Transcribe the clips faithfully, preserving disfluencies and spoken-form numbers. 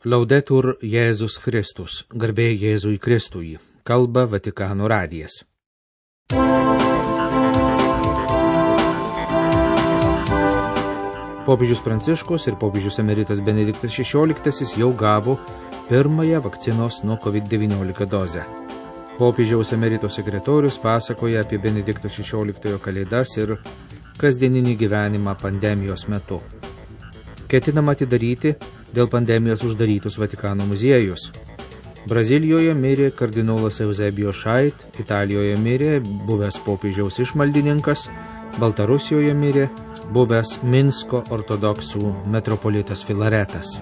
Laudetur Jėzus Kristus, garbė Jėzui Kristui, kalba Vatikano radijas. Popiežius Pranciškus ir popiežius emeritas Benediktas šešioliktasis jau gavo pirmąją vakcinos nuo COVID devyniolika dozę. Popiežiaus emerito sekretorius pasakoja apie Benedikto šešioliktojo kalėdas ir kasdieninį gyvenimą pandemijos metu. Ketinama atidaryti dėl pandemijos uždarytus Vatikano muziejus. Brazilijoje mirė kardinolas Eusebijus Šait, Italijoje mirė buvęs popiežiaus išmaldininkas, Baltarusijoje mirė buvęs Minsko ortodoksų metropolitas Filaretas.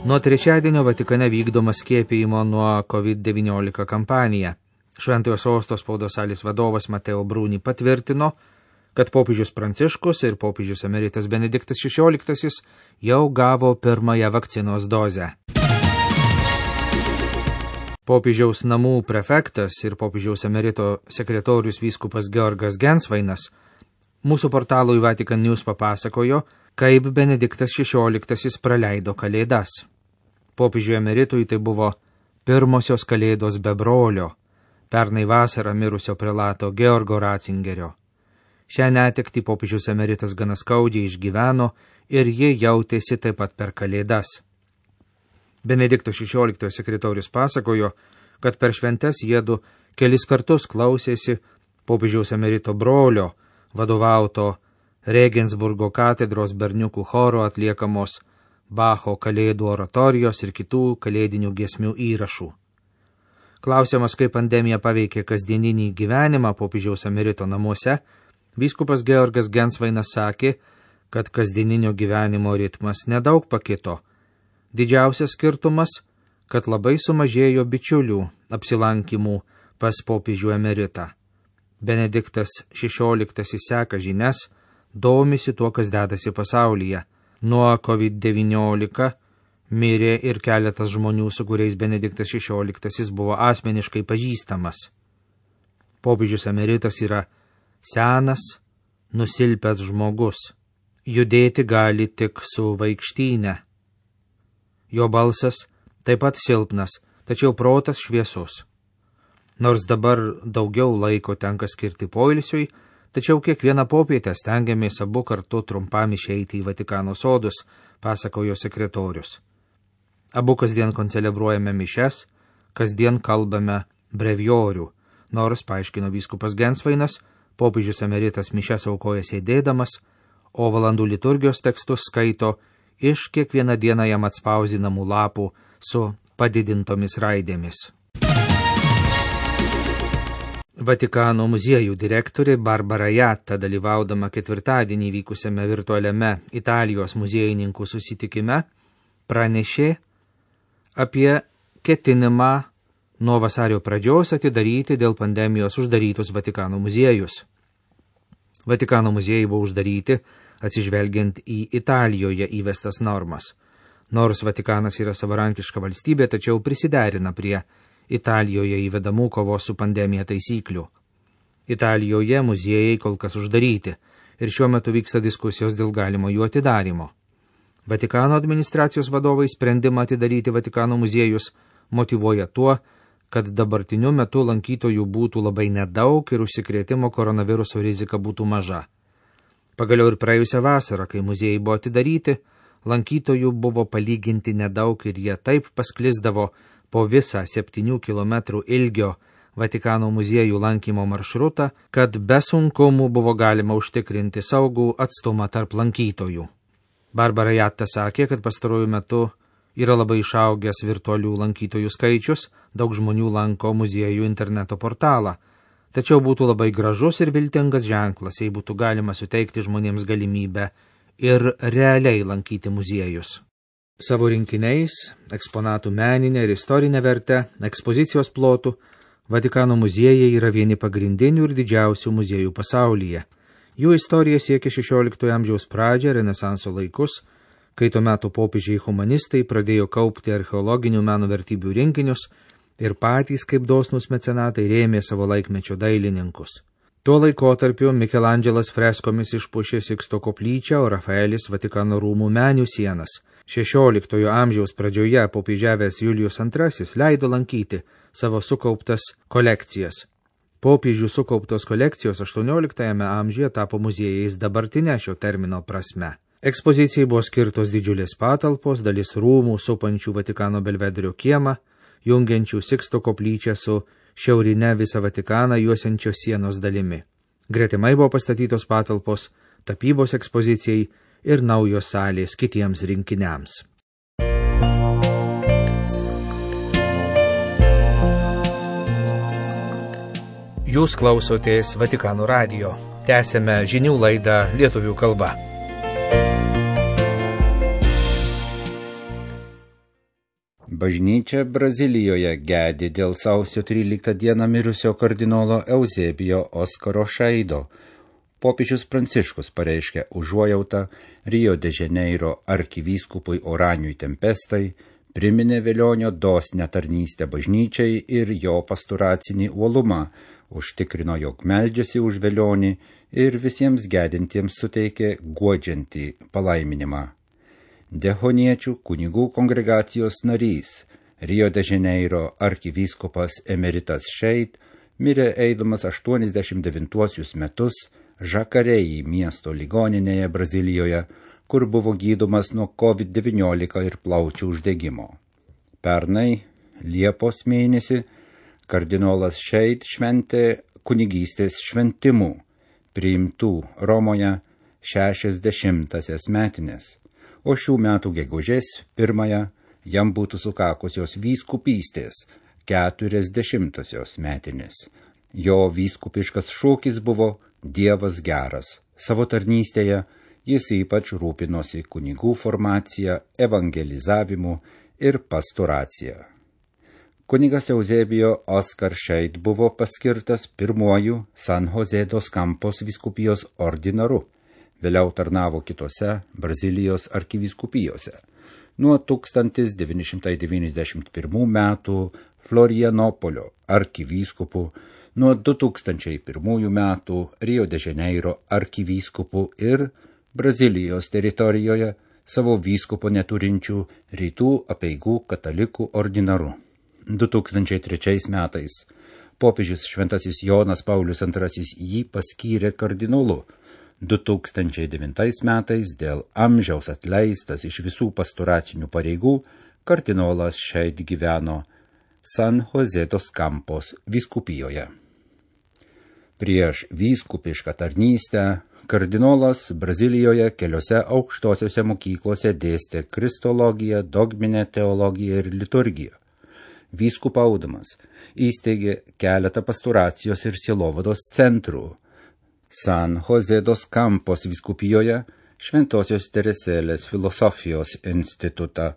Nuo trečiadienio Vatikane vykdoma skiepijimo nuo COVID devyniolika kampanija. Šventojo sosto spaudos salės vadovas Mateo Bruni patvirtino, kad popiežius Pranciškus ir popiežius emeritas Benediktas šešioliktasis jau gavo pirmąją vakcinos dozę. Popiežiaus namų prefektas ir popiežiaus emerito sekretorius vyskupas Georgas Gensvainas mūsų portalui Vatican News papasakojo, kaip Benediktas šešioliktasis praleido kalėdas. Popiežiui emeritui tai buvo pirmosios kalėdos be brolio, pernai vasarą mirusio prelato Georgo Ratzingerio. Šią netektį popiežius emeritas gana skaudžiai išgyveno ir ji jautėsi taip pat per kalėdas. Benedikto šešioliktojo sekretorius pasakojo, kad per šventes jiedu kelis kartus klausėsi popiežiaus emerito brolio, vadovauto Regensburgo katedros berniukų choro atliekamos Bacho kalėdų oratorijos ir kitų kalėdinių giesmių įrašų. Klausiamas, kaip pandemija paveikė kasdieninį gyvenimą popiežiaus emerito namuose, vyskupas Georgas Gensvainas sakė, kad kasdieninio gyvenimo ritmas nedaug pakito. Didžiausias skirtumas, kad labai sumažėjo bičiulių apsilankimų pas popiežių emeritą. Benediktas šešioliktasis seka žinias, domisi tuo, kas dedasi pasaulyje. Nuo COVID devyniolika mirė ir keletas žmonių, su kuriais Benediktas šešioliktasis buvo asmeniškai pažįstamas. Popiežius emeritas yra senas, nusilpęs žmogus. Judėti gali tik su vaikštyne. Jo balsas taip pat silpnas, tačiau protas šviesus. Nors dabar daugiau laiko tenka skirti poilsiui, tačiau kiekvieną popietę stengiamės abu kartu trumpam išeiti į Vatikano sodus, pasakojo sekretorius. Abu kasdien koncelebruojame mišes, kasdien kalbame breviorių, nors, paaiškino vyskupas Gensvainas, popiežius emeritas mišes aukoja sėdėdamas, o valandų liturgijos tekstus skaito iš kiekvieną dieną jam atspausdinamų lapų su padidintomis raidėmis. Vatikano muziejų direktorė Barbara Jatta, dalyvaudama ketvirtadienį vykusiame virtualiame Italijos muziejininkų susitikime, pranešė apie ketinimą nuo vasario pradžios atidaryti dėl pandemijos uždarytus Vatikano muziejus. Vatikano muziejai buvo uždaryti, atsižvelgiant į Italijoje įvestas normas. Nors Vatikanas yra savarankiška valstybė, tačiau prisiderina prie Italijoje įvedamų kovos su pandemija taisyklių. Italijoje muziejai kol kas uždaryti ir šiuo metu vyksta diskusijos dėl galimo jų atidarymo. Vatikano administracijos vadovai sprendimą atidaryti Vatikano muziejus motyvuoja tuo, kad dabartiniu metu lankytojų būtų labai nedaug ir užsikrėtimo koronaviruso rizika būtų maža. Pagaliau ir praėjusią vasarą, kai muziejai buvo atidaryti, lankytojų buvo palyginti nedaug ir jie taip pasklisdavo po visą septynių kilometrų ilgio Vatikano muziejų lankymo maršrutą, kad be sunkumų buvo galima užtikrinti saugų atstumą tarp lankytojų. Barbara Jatta sakė, kad pastaruoju metu yra labai išaugęs virtualių lankytojų skaičius, daug žmonių lanko muziejų interneto portalą. Tačiau būtų labai gražus ir viltingas ženklas, jei būtų galima suteikti žmonėms galimybę ir realiai lankyti muziejus. Savo rinkiniais, eksponatų meninę ir istorinę vertę, ekspozicijos plotų, Vatikano muziejai yra vieni pagrindinių ir didžiausių muziejų pasaulyje. Jų istorija siekia šešioliktojo amžiaus pradžią, Renesanso laikus, kai tuo metu popiežiai humanistai pradėjo kaupti archeologinių meno vertybių rinkinius ir patys kaip dosnūs mecenatai rėmė savo laikmečio dailininkus. Tuo laikotarpiu Mikelandželas freskomis išpušė Siksto koplyčią, o Rafaelis Vatikano rūmų menių sienas. šešioliktojo amžiaus pradžioje popiežiavęs Julijus antrasis leido lankyti savo sukauptas kolekcijas. Popiežių sukauptos kolekcijos aštuonioliktajame amžiuje tapo muziejais dabartinė šio termino prasme. Ekspozicijai buvo skirtos didžiulės patalpos, dalis rūmų supančių Vatikano Belvederio kiemą, jungiančių Siksto koplyčią su šiaurinę visą Vatikaną juosiančios sienos dalimi. Gretimai buvo pastatytos patalpos tapybos ekspozicijai ir naujos salės kitiems rinkiniams. Jūs klausotės Vatikano radijo. Tęsėme žinių laidą lietuvių kalba. Bažnyčia Brazilijoje gedi dėl sausio tryliktą dieną mirusio kardinolo Euzebijo Oskaro Šaido. Popiežius Pranciškus pareiškė užuojautą Rio de Janeiro arkivyskupui Oraniui Tempestai, priminė Velionio dosnią tarnystę bažnyčiai ir jo pastoracinį uolumą, užtikrino, jog meldžiasi už Velionį ir visiems gedintiems suteikė guodžiantį palaiminimą. Dehoniečių kunigų kongregacijos narys, Rio de Janeiro arkivyskupas emeritas Šeit, mirė eidamas aštuoniasdešimt devintuosius metus Žakarėjai miesto ligoninėje Brazilijoje, kur buvo gydomas nuo kovid devyniolika ir plaučių uždegimo. Pernai, Liepos mėnesį, kardinolas Šeit šventė kunigystės šventimų, priimtų Romoje šešiasdešimtąsias metinės. O šių metų gegužės pirmąją jam būtų sukakusios vyskupystės keturiasdešimtosios metinės. Jo vyskupiškas šūkis buvo Dievas geras. Savo tarnystėje jis ypač rūpinosi kunigų formacija, evangelizavimu ir pastoracija. Kunigas Euzebijo Oskar Šeit buvo paskirtas pirmuoju San Jose dos Campos vyskupijos ordinaru. Vėliau tarnavo kitose Brazilijos arkivyskupijose. Nuo tūkstantis devyni šimtai devyniasdešimt pirmų metų Florianopolio arkivyskupu, nuo du tūkstančiai pirmųjų metų Rio de Janeiro arkivyskupu ir Brazilijos teritorijoje savo vyskupo neturinčių rytų apeigų katalikų ordinaru. du tūkstančiai trečiais metais popiežius Šventasis Jonas Paulius antrasis jį paskyrė kardinolu. du tūkstančiai devintais metais dėl amžiaus atleistas iš visų pastoracinių pareigų, kardinolas Šeit gyveno San Jose dos Campos vyskupijoje. Prieš vyskupišką tarnystę kardinolas Brazilijoje keliose aukštosiose mokyklose dėstė kristologiją, dogminę teologiją ir liturgiją. Vyskupaudamas įsteigė keletą pastoracijos ir sielovados centrų. San Jose dos Campos vyskupijoje Šventosios Teresėlės filosofijos institutą,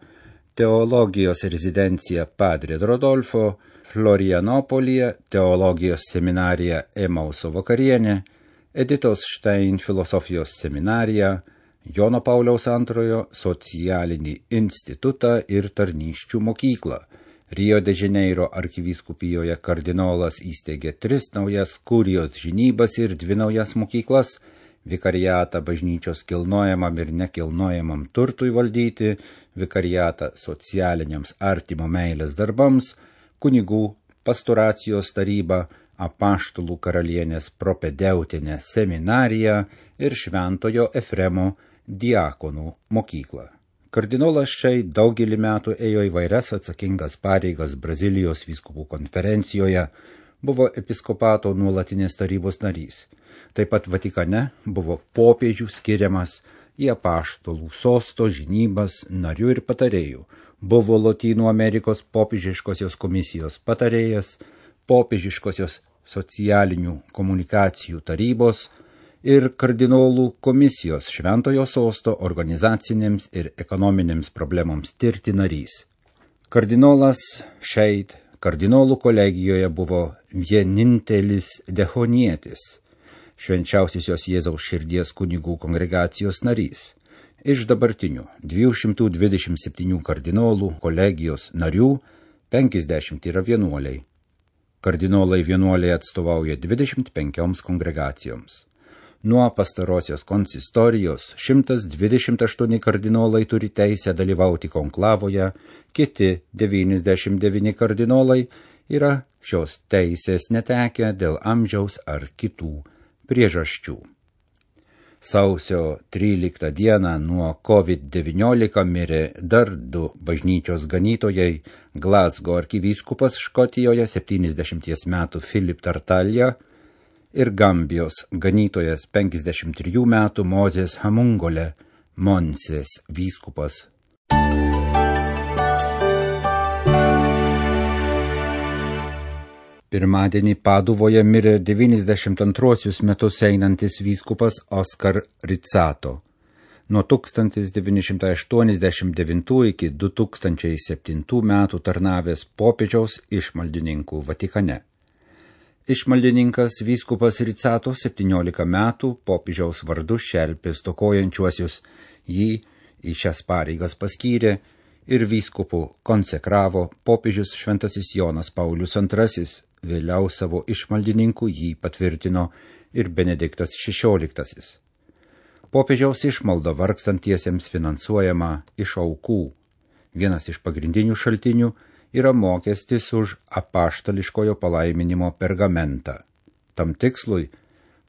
teologijos rezidenciją Padre Rodolfo, Florianopolyje teologijos seminariją Emauso vakarienė, Editos Štein filosofijos seminariją, Jono Pauliaus antrojo socialinį institutą ir tarnysčių mokyklą. Rio de Janeiro arkivyskupijoje kardinolas įsteigė tris naujas kurijos žinybas ir dvi naujas mokyklas, vikariatą bažnyčios kilnojamam ir nekilnojamam turtui valdyti, vikariatą socialiniams artimo meilės darbams, kunigų pastoracijos tarybą, apaštalų karalienės propedeutinę seminariją ir Šventojo Efremo diakonų mokyklą. Kardinolas Šeit daugelį metų ėjo įvairias atsakingas pareigas Brazilijos vyskupų konferencijoje, buvo episkopato nuolatinės tarybos narys. Taip pat Vatikane buvo popiežių skiriamas į apaštalų sosto žinybas narių ir patarėjų, buvo Lotynų Amerikos popiežiškosios komisijos patarėjas, popiežiškosios socialinių komunikacijų tarybos ir kardinolų komisijos Šventojo sosto organizacinėms ir ekonominėms problemoms tirti narys. Kardinolas Šeit kardinolų kolegijoje buvo vienintelis dehonietis, Švenčiausiosios Jėzaus širdies kunigų kongregacijos narys. Iš dabartinių dviejų šimtų dvidešimt septynių kardinolų kolegijos narių penkiasdešimt yra vienuoliai. Kardinolai vienuoliai atstovauja dvidešimt penkioms kongregacijoms. Nuo pastarosios konsistorijos šimtas dvidešimt aštuoni kardinolai turi teisę dalyvauti konklavoje, kiti devyniasdešimt devyni kardinolai yra šios teisės netekę dėl amžiaus ar kitų priežasčių. Sausio tryliktą dieną nuo COVID devyniolika mirė dar du bažnyčios ganytojai, Glasgow arkivyskupas Škotijoje septyniasdešimties metų Philip Tartalja ir Gambijos ganytojas penkiasdešimt trijų metų Mozės Hamungole, Monsės vyskupas. Pirmadienį Paduvoje mirė devyniasdešimt antruosius metus einantis vyskupas Oskar Rizzato. Nuo tūkstantis devyni šimtai aštuoniasdešimt devintų iki du tūkstančiai septintų metų tarnavęs popiežiaus išmaldininku Vatikane. Išmaldininkas vyskupas Rizzato septyniolika metų popiežiaus vardu šelpė stokojančiuosius, jį į šias pareigas paskyrė ir vyskupu konsekravo popiežius Šventasis Jonas Paulius antrasis, vėliau savo išmaldininku jį patvirtino ir Benediktas šešioliktasis. Popiežiaus išmalda vargstantiesiems finansuojama iš aukų. Vienas iš pagrindinių šaltinių yra mokestis už apaštališkojo palaiminimo pergamentą. Tam tikslui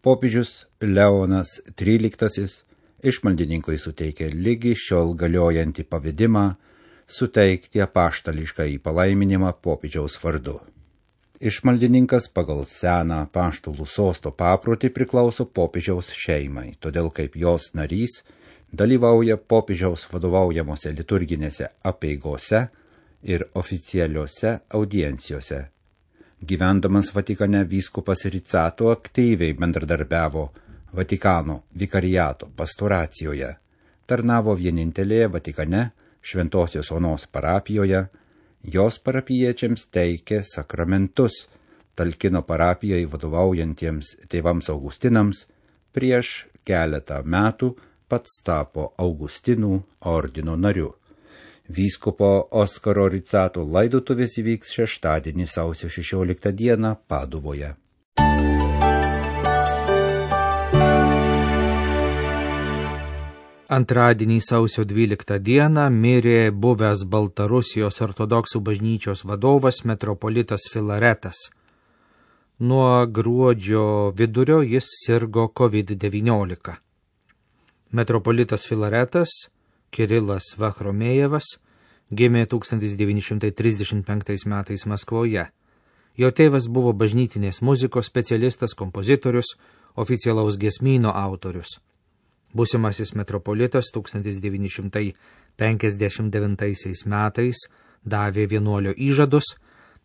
popiežius Leonas tryliktasis išmaldininkui suteikė lygi šiol galiojantį pavedimą suteikti apaštališką į palaiminimą popiežiaus vardu. Išmaldininkas pagal seną apaštalų sosto paprotį priklauso popiežiaus šeimai, todėl kaip jos narys dalyvauja popiežiaus vadovaujamose liturginėse apeigose ir oficialiuose audiencijose. Gyvendamas Vatikane vyskupas Rizzato aktyviai bendradarbiavo Vatikano vikariato pastoracijoje, tarnavo vienintelėje Vatikane Šventosios Onos parapijoje, jos parapijiečiams teikė sakramentus, talkino parapijai vadovaujantiems tėvams Augustinams, prieš keletą metų pats tapo Augustinų ordino nariu. Vyskupo Oskaro Rizzato laidotuvės įvyks šeštadienį sausio šešioliktą dieną Paduvoje. Antradienį sausio dvyliktą dieną mirė buvęs Baltarusijos ortodoksų bažnyčios vadovas metropolitas Filaretas. Nuo gruodžio vidurio jis sirgo COVID devyniolika. Metropolitas Filaretas, Kirilas Vachromejevas, gimė tūkstantis devyni šimtai trisdešimt penktais metais Maskvoje. Jo tėvas buvo bažnytinės muzikos specialistas, kompozitorius, oficialaus giesmyno autorius. Būsimasis metropolitas tūkstantis devyni šimtai penkiasdešimt devintaisiais metais davė vienuolio įžadus,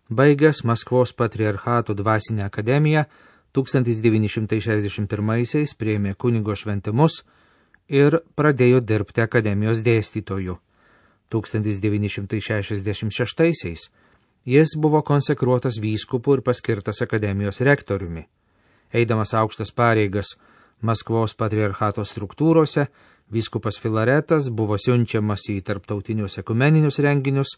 baigęs Maskvos patriarchato dvasinę akademiją, tūkstantis devyni šimtai šešiasdešimt pirmaisiais priėmė kunigo šventimus ir pradėjo dirbti akademijos dėstytoju. tūkstantis devyni šimtai šešiasdešimt šeštaisiais jis buvo konsekruotas vyskupu ir paskirtas akademijos rektoriumi. Eidamas aukštas pareigas Maskvos patriarchato struktūrose, vyskupas Filaretas buvo siunčiamas į tarptautinius ekumeninius renginius,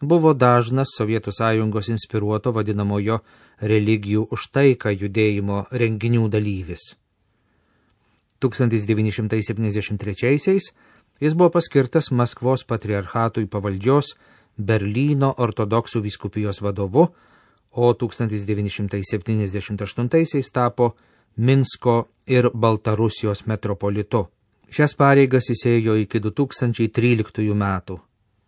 buvo dažnas Sovietų sąjungos inspiruoto vadinamojo religijų už taiką judėjimo renginių dalyvis. tūkstantis devyni šimtai septyniasdešimt trečiaisiais jis buvo paskirtas Maskvos patriarchatui pavaldžios Berlyno ortodoksų vyskupijos vadovu, o tūkstantis devyni šimtai septyniasdešimt aštuntaisiais tapo Minsko ir Baltarusijos metropolitu. Šias pareigas jis ėjo iki du tūkstančiai tryliktųjų metų.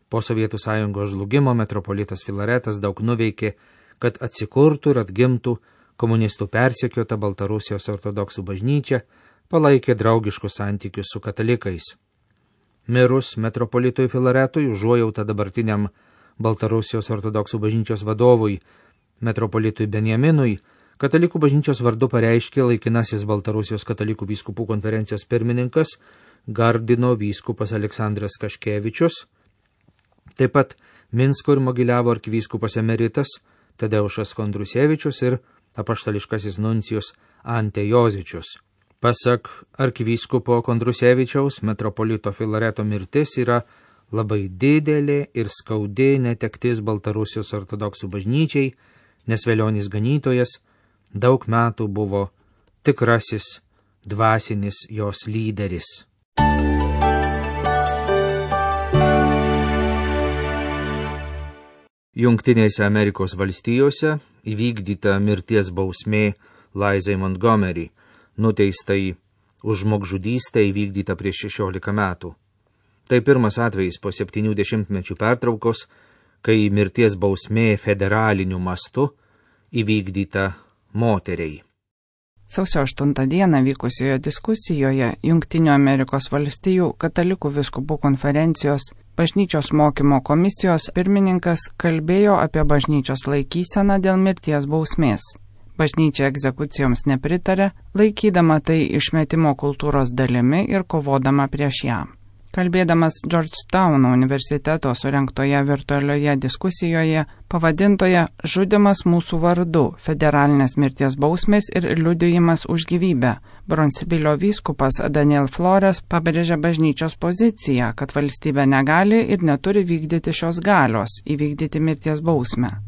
Po Sovietų sąjungos žlugimo metropolitas Filaretas daug nuveikė, kad atsikurtų ir atgimtų komunistų persekiota Baltarusijos ortodoksų bažnyčia, palaikė draugiškus santykius su katalikais. Mirus metropolitui Filaretui užuojautą dabartiniam Baltarusijos ortodoksų bažnyčios vadovui, metropolitui Benjaminui, Katalikų bažnyčios vardu pareiškė laikinasis Baltarusijos katalikų vyskupų konferencijos pirmininkas Gardino vyskupas Aleksandras Kaškevičius, taip pat Minsko ir Mogiliavo arkivyskupas emeritas Tadeušas Kondrusevičius ir apaštališkasis nuncijus Ante Jozičius. Pasak arkivyskupo Kondrusevičiaus, metropolito Filareto mirtis yra labai didelė ir skaudi netektis Baltarusijos ortodoksų bažnyčiai, nes velionis ganytojas daug metų buvo tikrasis dvasinis jos lyderis. Jungtinėse Amerikos valstijose įvykdyta mirties bausmė Laizai Montgomery, nuteistai už žmogžudystę įvykdyta prieš šešiolika metų. Tai pirmas atvejis po septynių dešimtmečių pertraukos, kai mirties bausmė federaliniu mastu įvykdyta moteriai. Sausio aštuntą dieną vykusioje diskusijoje Jungtinių Amerikos valstijų katalikų vyskupų konferencijos bažnyčios mokymo komisijos pirmininkas kalbėjo apie bažnyčios laikyseną dėl mirties bausmės. Bažnyčia egzekucijoms nepritarė, laikydama tai išmetimo kultūros dalimi ir kovodama prieš ją. Kalbėdamas Georgetowno universiteto surengtoje virtualioje diskusijoje, pavadintoje Žudymas mūsų vardu – federalinės mirties bausmės ir liudijimas už gyvybę, Bronsvilio vyskupas Daniel Flores pabrėžė bažnyčios poziciją, kad valstybė negali ir neturi vykdyti šios galios – įvykdyti mirties bausmę.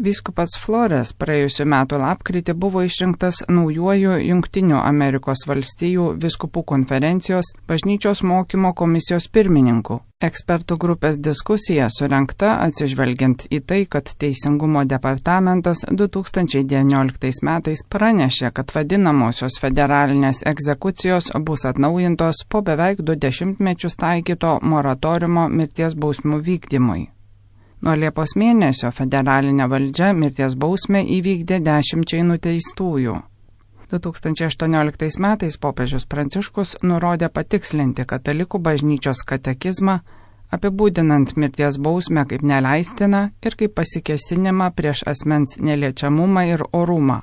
Vyskupas Flores praėjusiu metu lapkritį buvo išrinktas naujuoju Jungtinių Amerikos valstijų vyskupų konferencijos bažnyčios mokymo komisijos pirmininku. Ekspertų grupės diskusija surengta atsižvelgiant į tai, kad Teisingumo departamentas du tūkstančiai devynioliktais metais pranešė, kad vadinamosios federalinės egzekucijos bus atnaujintos po beveik du dešimtmečius taikyto moratoriumo mirties bausmių vykdymui. Nuo Liepos mėnesio federalinė valdžia mirties bausmę įvykdė dešimčiai nuteistųjų. du tūkstančiai aštuonioliktais metais popiežius Pranciškus nurodė patikslinti katalikų bažnyčios katekizmą, apibūdinant mirties bausmę kaip neleistiną ir kaip pasikėsinimą prieš asmens neliečiamumą ir orumą.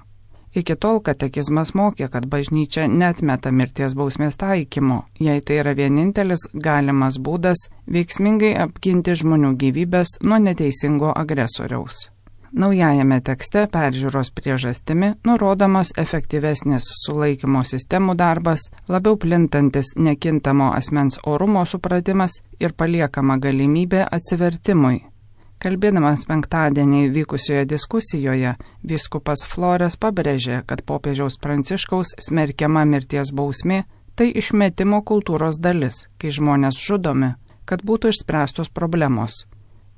Iki tol katekizmas mokė, kad bažnyčia neatmeta mirties bausmės taikymo, jei tai yra vienintelis galimas būdas veiksmingai apginti žmonių gyvybės nuo neteisingo agresoriaus. Naujajame tekste peržiūros priežastimi nurodomas efektyvesnis sulaikymo sistemų darbas, labiau plintantis nekintamo asmens orumo supratimas ir paliekama galimybė atsivertimui. Kalbėdamas penktadienį vykusioje diskusijoje, vyskupas Flores pabrėžė, kad popiežiaus Pranciškaus smerkiama mirties bausmė tai išmetimo kultūros dalis, kai žmonės žudomi, kad būtų išspręstos problemos.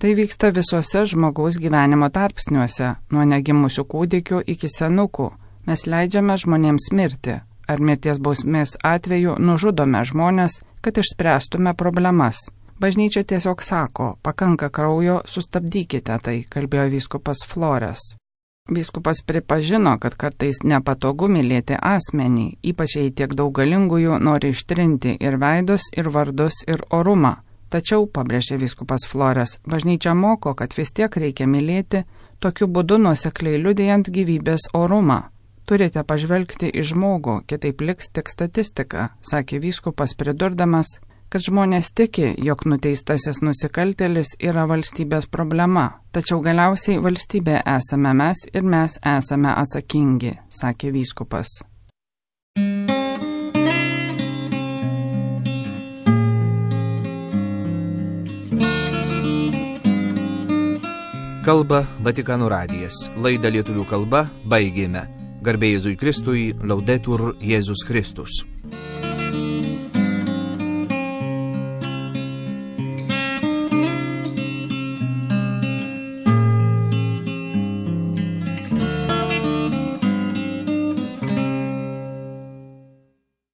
Tai vyksta visuose žmogaus gyvenimo tarpsniuose, nuo negimusių kūdikių iki senukų. Mes leidžiame žmonėms mirti, ar mirties bausmės atveju nužudome žmonės, kad išspręstume problemas. Bažnyčia tiesiog sako, pakanka kraujo, sustabdykite tai, kalbėjo vyskupas Flores. Vyskupas pripažino, kad kartais nepatogu mylėti asmenį, ypač jei tiek daug galingųjų nori ištrinti ir veidus, ir vardus, ir orumą. Tačiau, pabrėžė vyskupas Flores, bažnyčia moko, kad vis tiek reikia mylėti, tokiu būdu nuosekliai liudijant gyvybės orumą. Turite pažvelgti į žmogų, kitaip liks tik statistika, sakė vyskupas pridurdamas, kad žmonės tiki, jog nuteistasis nusikaltėlis yra valstybės problema, tačiau galiausiai valstybė esame mes ir mes esame atsakingi, sakė vyskupas. Kalba Vatikano radijas. Laidą lietuvių kalba baigėme. Garbė Jėzui Kristui, Laudetur Jėzus Kristus.